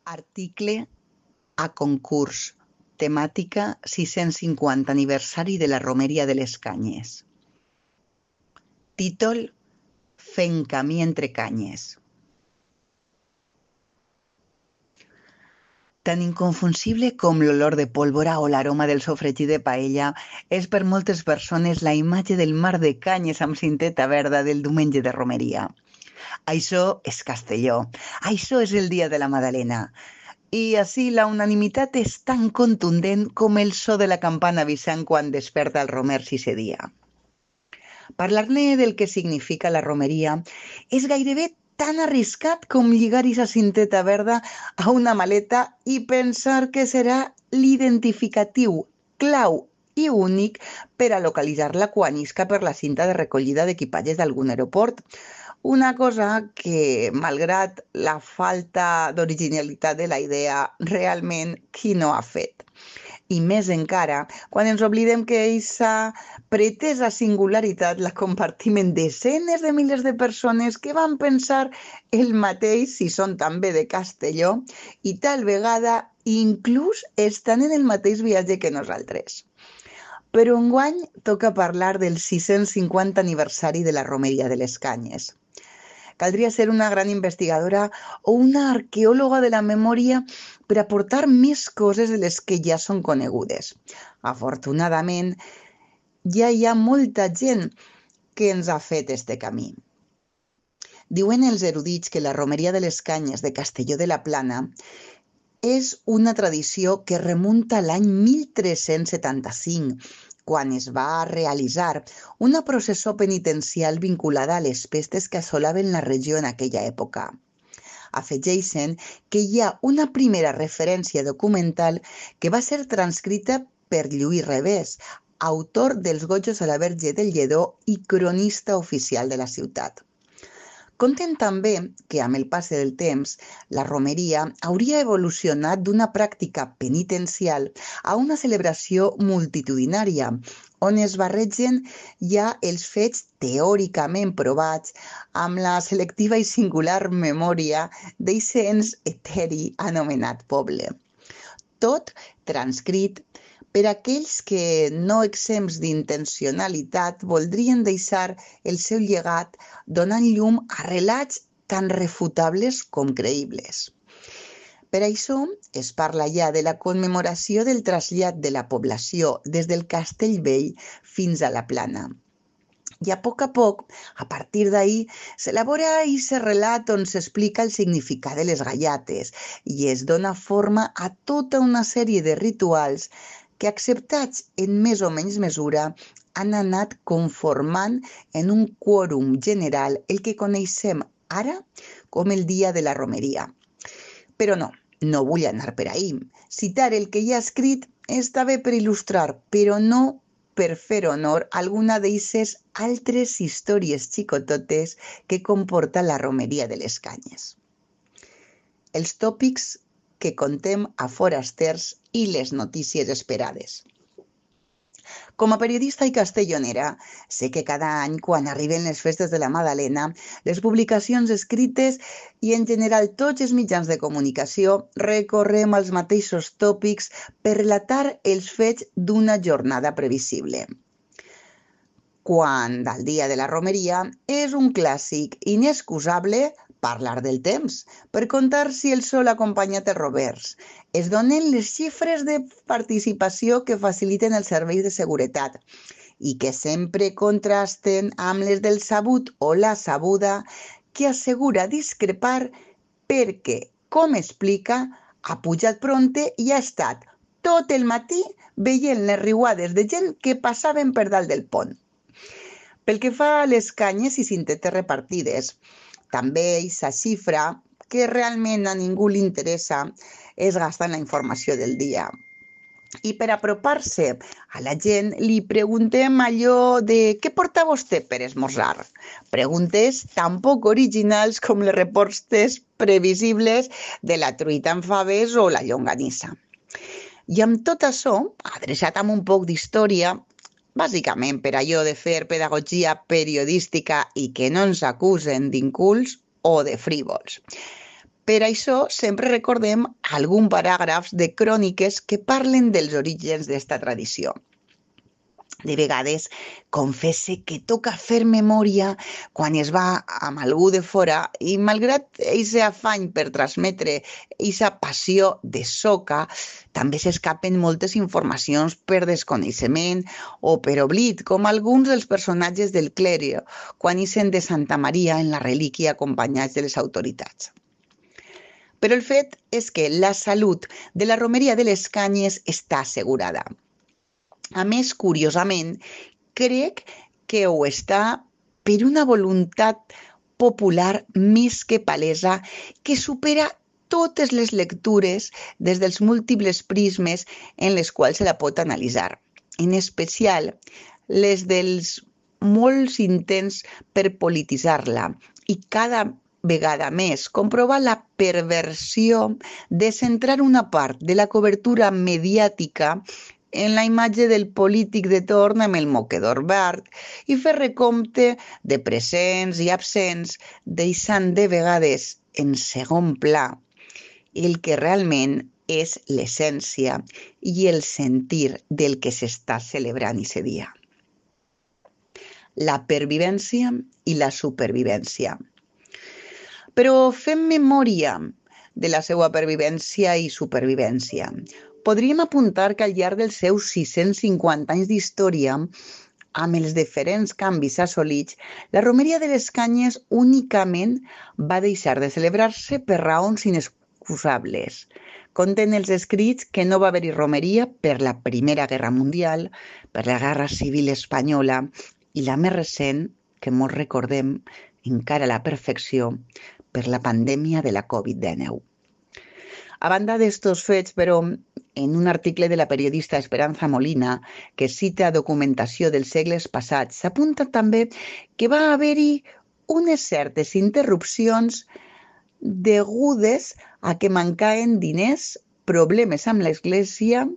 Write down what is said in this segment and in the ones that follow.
Article a concurs. Temàtica 650 aniversari de la Romeria de les Canyes. Títol: Fent camí entre canyes. Tan inconfusible com l'olor de pólvora o l'aroma del sofregit de paella és per moltes persones la imatge del mar de canyes amb cinteta verda del diumenge de romeria. Això és Castelló, això és el dia de la Madalena. I així la unanimitat és tan contundent com el so de la campana avisant quan desperta el romer sisè dia. Parlar-ne del que significa la romeria és gairebé tan arriscat com lligar aquesta cinteta verda a una maleta i pensar que serà l'identificatiu clau i únic per a localitzar-la quan isca per la cinta de recollida d'equipatges d'algun aeroport. Una cosa que, malgrat la falta d'originalitat de la idea, realment qui no ha fet. I més encara, quan ens oblidem que aquesta pretesa singularitat la compartim en desenes de milers de persones que van pensar el mateix si són també de Castelló i tal vegada inclús estan en el mateix viatge que nosaltres. Però enguany toca parlar del 650 aniversari de la Romeria de les Canyes. Caldria ser una gran investigadora o una arqueòloga de la memòria per aportar més coses de les que ja són conegudes. Afortunadament, ja hi ha molta gent que ens ha fet este camí. Diuen els erudits que la Romeria de les Canyes de Castelló de la Plana és una tradició que remunta a l'any 1375, quan es va realitzar una processó penitencial vinculada a les pestes que assolaven la regió en aquella època. Afegeixen que hi ha una primera referència documental que va ser transcrita per Lluís Revés, autor dels Gojos a la Verge del Lledó i cronista oficial de la ciutat. Conten també que, amb el pas del temps, la romeria hauria evolucionat d'una pràctica penitencial a una celebració multitudinària, on es barregen ja els fets teòricament provats amb la selectiva i singular memòria d'eixe ens eteri anomenat poble. Tot transcrit per aquells que, no exempts d'intencionalitat, voldrien deixar el seu llegat donant llum a relats tan refutables com creïbles. Per això es parla ja de la commemoració del trasllat de la població des del Castell Vell fins a la Plana. I a poc, a partir d'ahir, s'elabora aquest relat on s'explica el significat de les gallates i es dona forma a tota una sèrie de rituals que, acceptats en més o menys mesura, han anat conformant en un quòrum general el que coneixem ara com el dia de la romeria. Però no vull anar per ahí. Citar el que hi ha escrit està bé per il·lustrar, però no per fer honor a alguna d'eixes altres històries xicototes que comporta la romeria de les Canyes. Els tòpics que contem a forasters i les notícies esperades. Com a periodista i castellonera, sé que cada any, quan arriben les festes de la Madalena, les publicacions escrites i, en general, tots els mitjans de comunicació recorrem als mateixos tòpics per relatar els fets d'una jornada previsible. Quan, al dia de la romeria, és un clàssic inexcusable parlar del temps, per contar si el sol ha acompanyat els rovers. Es donen les xifres de participació que faciliten els serveis de seguretat i que sempre contrasten amb les del sabut o la sabuda, que assegura discrepar perquè, com explica, ha pujat prompte i ha estat tot el matí veient les riuades de gent que passaven per dalt del pont. Pel que fa a les canyes i cintetes repartides, també aquesta xifra, que realment a ningú li interessa, és gastar en la informació del dia. I per apropar-se a la gent, li preguntem allò de què porta vostè per esmorzar? Preguntes tan poc originals com les respostes previsibles de la truita amb faves o la llonganissa. I amb tot això, adreçat amb un poc d'història, bàsicament per allò de fer pedagogia periodística i que no ens acusen d'incults o de frívols. Per això sempre recordem algun paràgrafs de cròniques que parlen dels orígens d'esta tradició. De vegades confesse que toca fer memòria quan es va amb algú de fora i malgrat aquest afany per transmetre aquesta passió de soca, també s'escapen moltes informacions per desconeixement o per oblit, com alguns dels personatges del clero quan ixen de Santa Maria en la relíquia acompanyats de les autoritats. Però el fet és que la salut de la romeria de les Canyes està assegurada. A més, curiosament, crec que ho està per una voluntat popular més que palesa que supera totes les lectures des dels múltiples prismes en les quals se la pot analitzar, en especial les dels molts intents per polititzar-la i cada vegada més comprovar la perversió de centrar una part de la cobertura mediàtica en la imatge del polític de torn amb el moquedor verd i fer recompte de presents i absents, deixant de vegades en segon pla el que realment és l'essència i el sentir del que s'està celebrant aquest dia. La pervivència i la supervivència. Però fem memòria de la seva pervivència i supervivència. Podríem apuntar que al llarg dels seus 650 anys d'història, amb els diferents canvis assolits, la romeria de les Canyes únicament va deixar de celebrar-se per raons inexcusables. Conten els escrits que no va haver-hi romeria per la Primera Guerra Mundial, per la Guerra Civil Espanyola i la més recent, que molts recordem encara a la perfecció, per la pandèmia de la Covid-19. A banda d'estos fets, però, en un article de la periodista Esperanza Molina, que cita documentació dels segles passats, s'apunta també que va haver-hi unes certes interrupcions degudes a que mancaven diners, problemes amb l'Església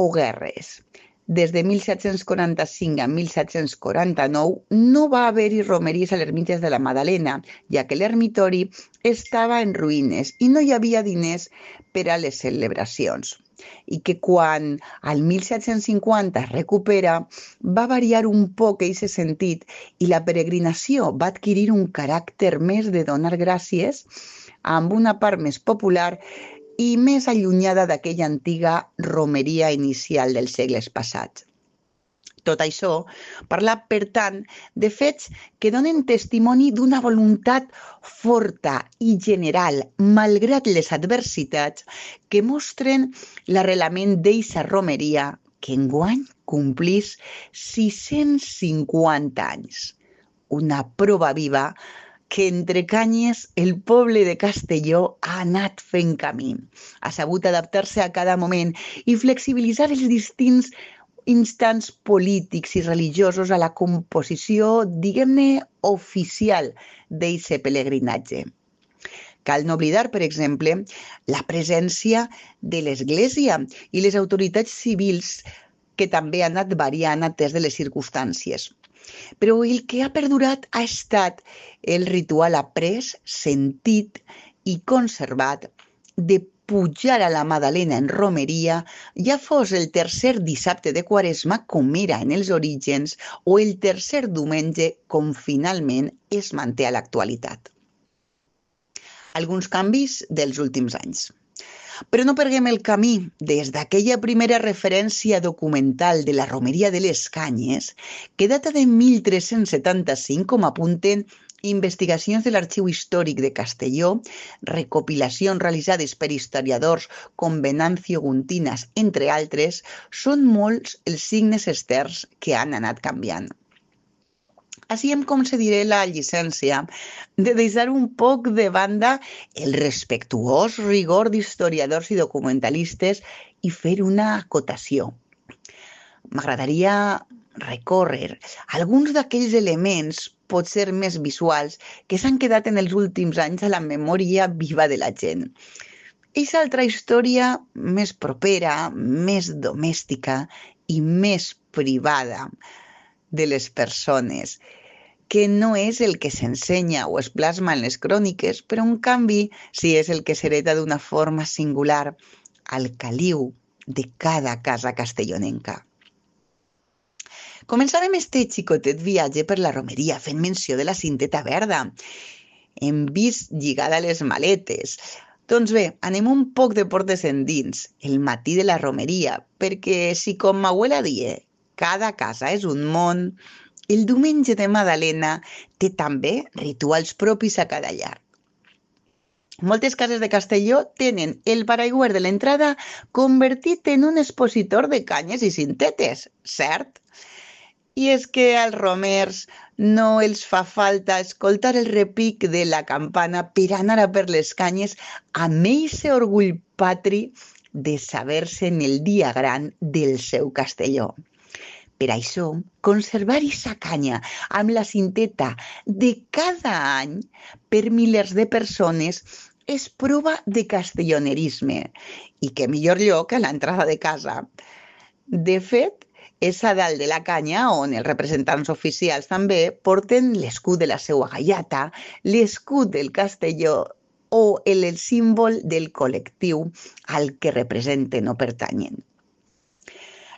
o guerres. Des de 1745 a 1749 no va haver-hi romeries a l'ermites de la Madalena, ja que l'ermitori estava en ruïnes i no hi havia diners per a les celebracions. I que quan al 1750 es recupera, va variar un poc aquest sentit i la peregrinació va adquirir un caràcter més de donar gràcies amb una part més popular i més allunyada d'aquella antiga romeria inicial dels segles passats. Tot això parla, per tant, de fets que donen testimoni d'una voluntat forta i general, malgrat les adversitats, que mostren l'arrelament d'eixa romeria que enguany complís 650 anys. Una prova viva que entre Canyes el poble de Castelló ha anat fent camí. Ha sabut adaptar-se a cada moment i flexibilitzar els distints instants polítics i religiosos a la composició, diguem-ne, oficial d'aquest pelegrinatge. Cal no oblidar, per exemple, la presència de l'Església i les autoritats civils que també han anat variant atès de les circumstàncies. Però el que ha perdurat ha estat el ritual après, sentit i conservat de pujar a la Madalena en romeria, ja fos el tercer dissabte de Quaresma, com era en els orígens, o el tercer diumenge, com finalment es manté a l'actualitat. Alguns canvis dels últims anys. Però no perguem el camí des d'aquella primera referència documental de la romeria de les Canyes, que data de 1375, com apunten investigacions de l'Arxiu Històric de Castelló, recopilacions realitzades per historiadors com Venancio Guntinas, entre altres, són molts els signes externs que han anat canviant. Així em concediré la llicència de deixar un poc de banda el respectuós rigor d'historiadors i documentalistes i fer una acotació. M'agradaria recórrer alguns d'aquells elements, potser més visuals, que s'han quedat en els últims anys a la memòria viva de la gent. Eixa altra història més propera, més domèstica i més privada de les persones, que no és el que s'ensenya o es plasma en les cròniques, però en canvi sí és el que s'hereta d'una forma singular al caliu de cada casa castellonenca. Començarem este xicotet viatge per la romeria fent menció de la cinteta verda. Hem vist lligada a les maletes. Doncs bé, anem un poc de portes endins, el matí de la romeria, perquè si com m'abuela die, cada casa és un món, el diumenge de Madalena té també rituals propis a cada llar. Moltes cases de Castelló tenen el paraigüer de l'entrada convertit en un expositor de canyes i cintetes, cert? I és que als romers no els fa falta escoltar el repic de la campana per anar a per les canyes amb eixe orgull patri de saber-se en el dia gran del seu Castelló. Per això, conservar aquesta canya amb la cinteta de cada any per milers de persones és prova de castellonerisme i que millor lloc a l'entrada de casa. De fet, és a dalt de la canya on els representants oficials també porten l'escut de la seua gaiata, l'escut del Castelló o el símbol del col·lectiu al que representen o pertanyen.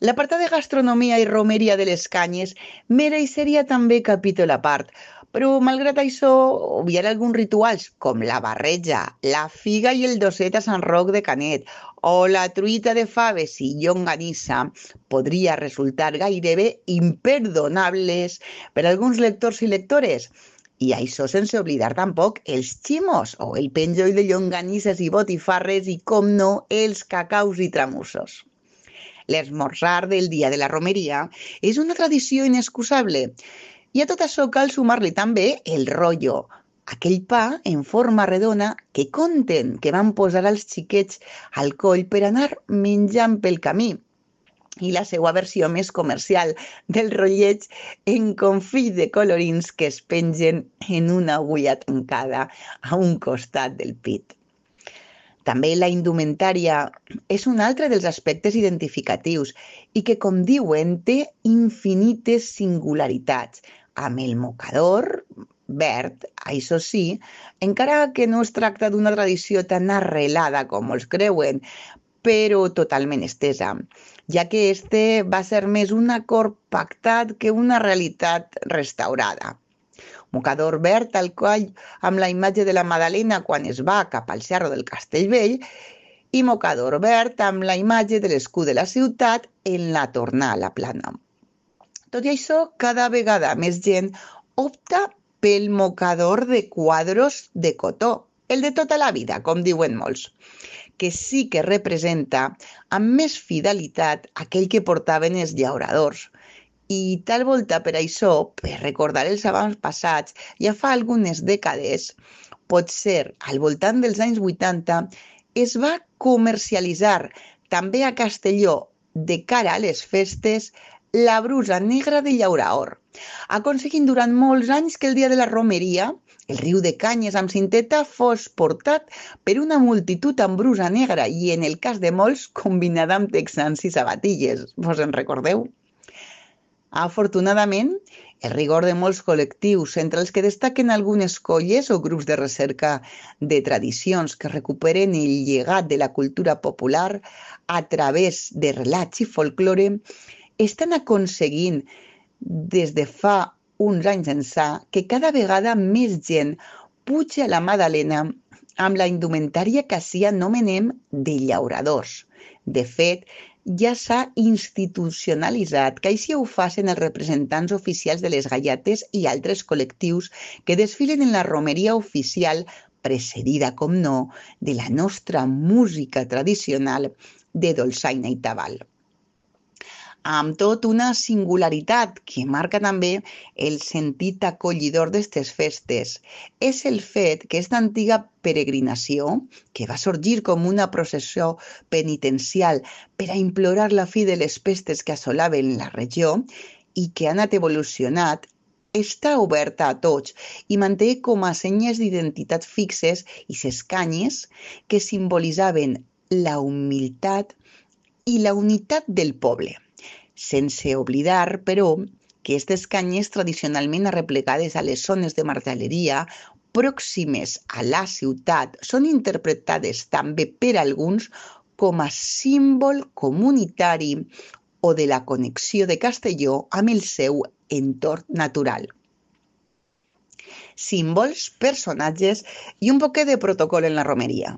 L'apartat de gastronomia i romeria de les canyes mereixeria també capítol a part, però malgrat això, obviar alguns rituals com la barreja, la figa i el doset a Sant Roc de Canet o la truita de faves i llonganissa podria resultar gairebé imperdonables per a alguns lectors i lectores. I això sense oblidar tampoc els ximos o el penjoll de llonganisses i botifarres i, com no, els cacaus i tramussos. L'esmorzar del dia de la romeria és una tradició inexcusable i a tot això cal sumar-li també el rollo, aquell pa en forma redona que conten que van posar als xiquets al coll per anar menjant pel camí, i la seva versió més comercial del rotllet en confit de colorins que es pengen en una agulla tancada a un costat del pit. També la indumentària és un altre dels aspectes identificatius i que, com diuen, té infinites singularitats, amb el mocador verd, això sí, encara que no es tracta d'una tradició tan arrelada com molts creuen, però totalment estesa, ja que este va ser més un acord pactat que una realitat restaurada. Mocador verd al coll amb la imatge de la Madalena quan es va cap al Cerro del Castellvell i mocador verd amb la imatge de l'escut de la ciutat en la tornada a la plana. Tot i això, cada vegada més gent opta pel mocador de quadros de cotó, el de tota la vida, com diuen molts, que sí que representa amb més fidelitat aquell que portaven els llauradors. I tal volta per això, per recordar els avantpassats, ja fa algunes dècades, potser al voltant dels anys 80, es va comercialitzar també a Castelló, de cara a les festes, la brusa negra de llauraor, aconseguint durant molts anys que el dia de la romeria, el riu de canyes amb cinteta fos portat per una multitud amb brusa negra i, en el cas de molts, combinada amb texans i sabatilles. Vos en recordeu? Afortunadament, el rigor de molts col·lectius, entre els que destaquen algunes colles o grups de recerca de tradicions que recuperen el llegat de la cultura popular a través de relats i folklore, estan aconseguint des de fa uns anys ençà que cada vegada més gent puja a la Madalena amb la indumentària que així anomenem de llauradors. De fet, ja s'ha institucionalitzat que així ho facin els representants oficials de les gaiates i altres col·lectius que desfilen en la romeria oficial, precedida, com no, de la nostra música tradicional de dolçaina i tabal. Amb tot una singularitat que marca també el sentit acollidor d'aquestes festes. És el fet que aquesta antiga peregrinació, que va sorgir com una processió penitencial per a implorar la fi de les pestes que assolaven la regió i que ha anat evolucionat, està oberta a tots i manté com a senyes d'identitat fixes i ses canyes que simbolitzaven la humilitat i la unitat del poble. Sense oblidar, però, que aquestes canyes tradicionalment arreplegades a les zones de marteleria pròximes a la ciutat són interpretades també per alguns com a símbol comunitari o de la connexió de Castelló amb el seu entorn natural. Símbols, personatges i un poquet de protocol en la romeria.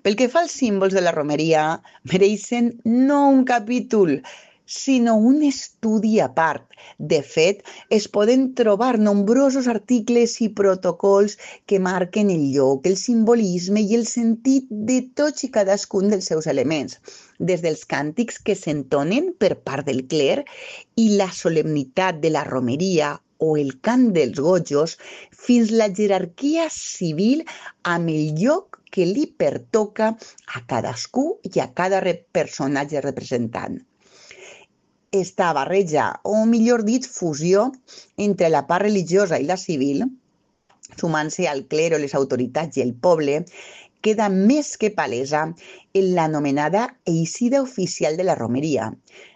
Pel que fa als símbols de la romeria, mereixen no un capítol, sinó un estudi a part. De fet, es poden trobar nombrosos articles i protocols que marquen el lloc, el simbolisme i el sentit de tots i cadascun dels seus elements, des dels càntics que s'entonen per part del cler i la solemnitat de la romeria o el cant dels gojos, fins la jerarquia civil amb el lloc que li pertoca a cadascú i a cada personatge representant. Esta barreja, o millor dit, fusió entre la part religiosa i la civil, sumant-se al clero, les autoritats i el poble, queda més que palesa en l'anomenada eixida oficial de la romeria,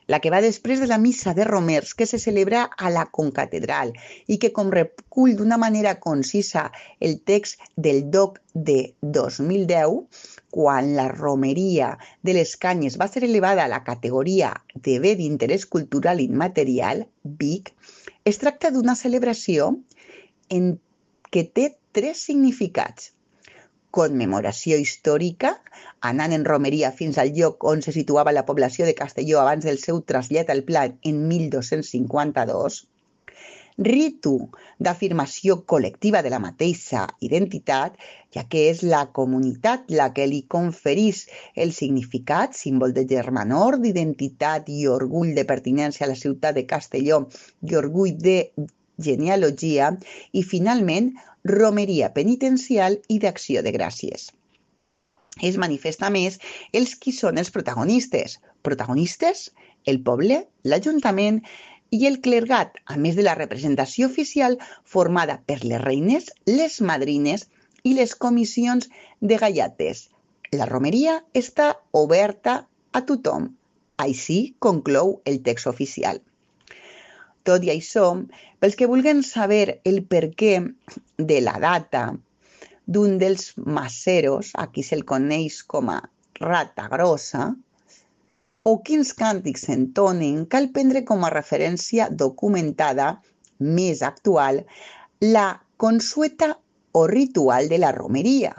la que va després de la missa de romers que se celebra a la concatedral i que, com recull d'una manera concisa el text del DOC de 2010, quan la romeria de les Canyes va ser elevada a la categoria de bé d'interès cultural immaterial, BIC, es tracta d'una celebració que té tres significats: commemoració històrica, anant en romeria fins al lloc on se situava la població de Castelló abans del seu trasllat al Pla en 1252, ritu d'afirmació col·lectiva de la mateixa identitat, ja que és la comunitat la que li conferís el significat, símbol de germanor, d'identitat i orgull de pertinença a la ciutat de Castelló i orgull de genealogia, i finalment romeria penitencial i d'acció de gràcies. Es manifesta més els qui són els protagonistes. Protagonistes, el poble, l'Ajuntament i el clergat, a més de la representació oficial formada per les reines, les madrines i les comissions de gallates. La romeria està oberta a tothom. Així conclou el text oficial. Tot i això, pels que vulguin saber el perquè de la data d'un dels maceros, aquí se'l coneix com a rata grossa, o quins càntics s'entonen, cal prendre com a referència documentada més actual la consueta o ritual de la romeria,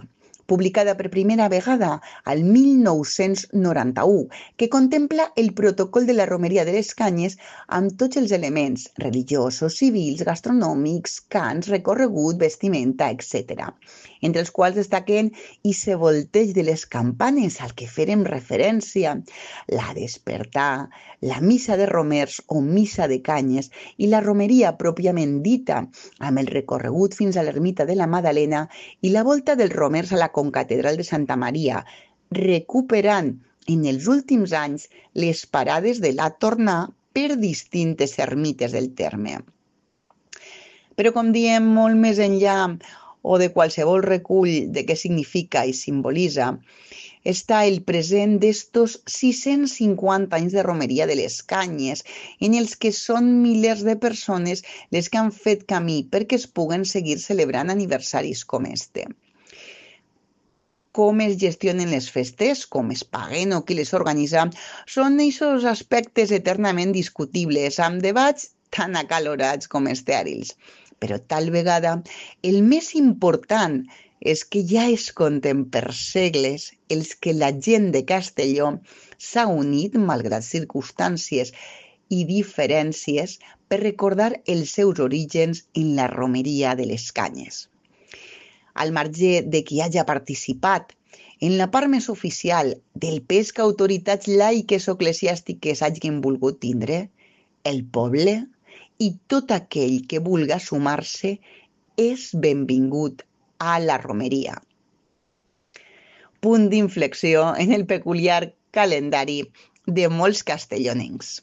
publicada per primera vegada al 1991, que contempla el protocol de la romeria de les Canyes amb tots els elements religiosos, civils, gastronòmics, cants, recorregut, vestimenta, etc., entre els quals destaquen ese volteig de les campanes al que fèrem referència, la despertar, la missa de romers o missa de canyes i la romeria pròpiament dita, amb el recorregut fins a l'ermita de la Madalena i la volta dels romers a la concatedral de Santa Maria, recuperant en els últims anys les parades de la tornà per distintes ermites del terme. Però, com diem, molt més enllà o de qualsevol recull de què significa i simbolitza, està el present d'estos 650 anys de romeria de les Canyes, en els que són milers de persones les que han fet camí perquè es puguen seguir celebrant aniversaris com este. Com es gestionen les festes, com es paguen o qui les organitza, són aquests aspectes eternament discutibles, amb debats tan acalorats com estèrils. Però tal vegada el més important és que ja es compten per segles els que la gent de Castelló s'ha unit, malgrat circumstàncies i diferències, per recordar els seus orígens en la romeria de les Canyes. Al marge de qui hagi participat en la part més oficial del pes que autoritats laiques o eclesiàstiques hagin volgut tindre, el poble i tot aquell que vulga sumar-se és benvingut a la romeria. Punt d'inflexió en el peculiar calendari de molts castellonencs.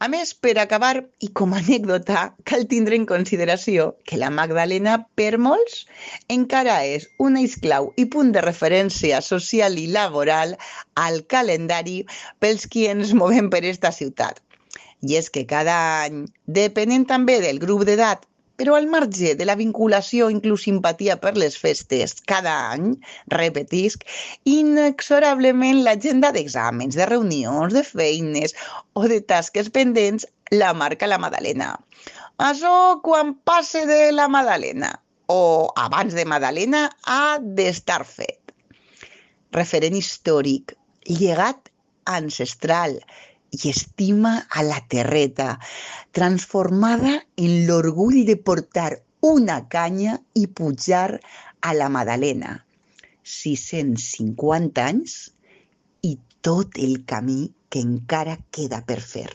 A més, per acabar, i com a anècdota, cal tindre en consideració que la Magdalena, per molts, encara és un eix clau i punt de referència social i laboral al calendari pels qui ens movem per esta ciutat. I és que cada any, depenent també del grup d'edat, però al marge de la vinculació inclús simpatia per les festes, cada any, repetisc, inexorablement l'agenda d'exàmens, de reunions, de feines o de tasques pendents la marca la Madalena. Això quan passe de la Madalena o abans de Madalena ha d'estar fet. Referent històric, llegat ancestral i estima a la terreta, transformada en l'orgull de portar una canya i pujar a la Madalena. 650 anys i tot el camí que encara queda per fer.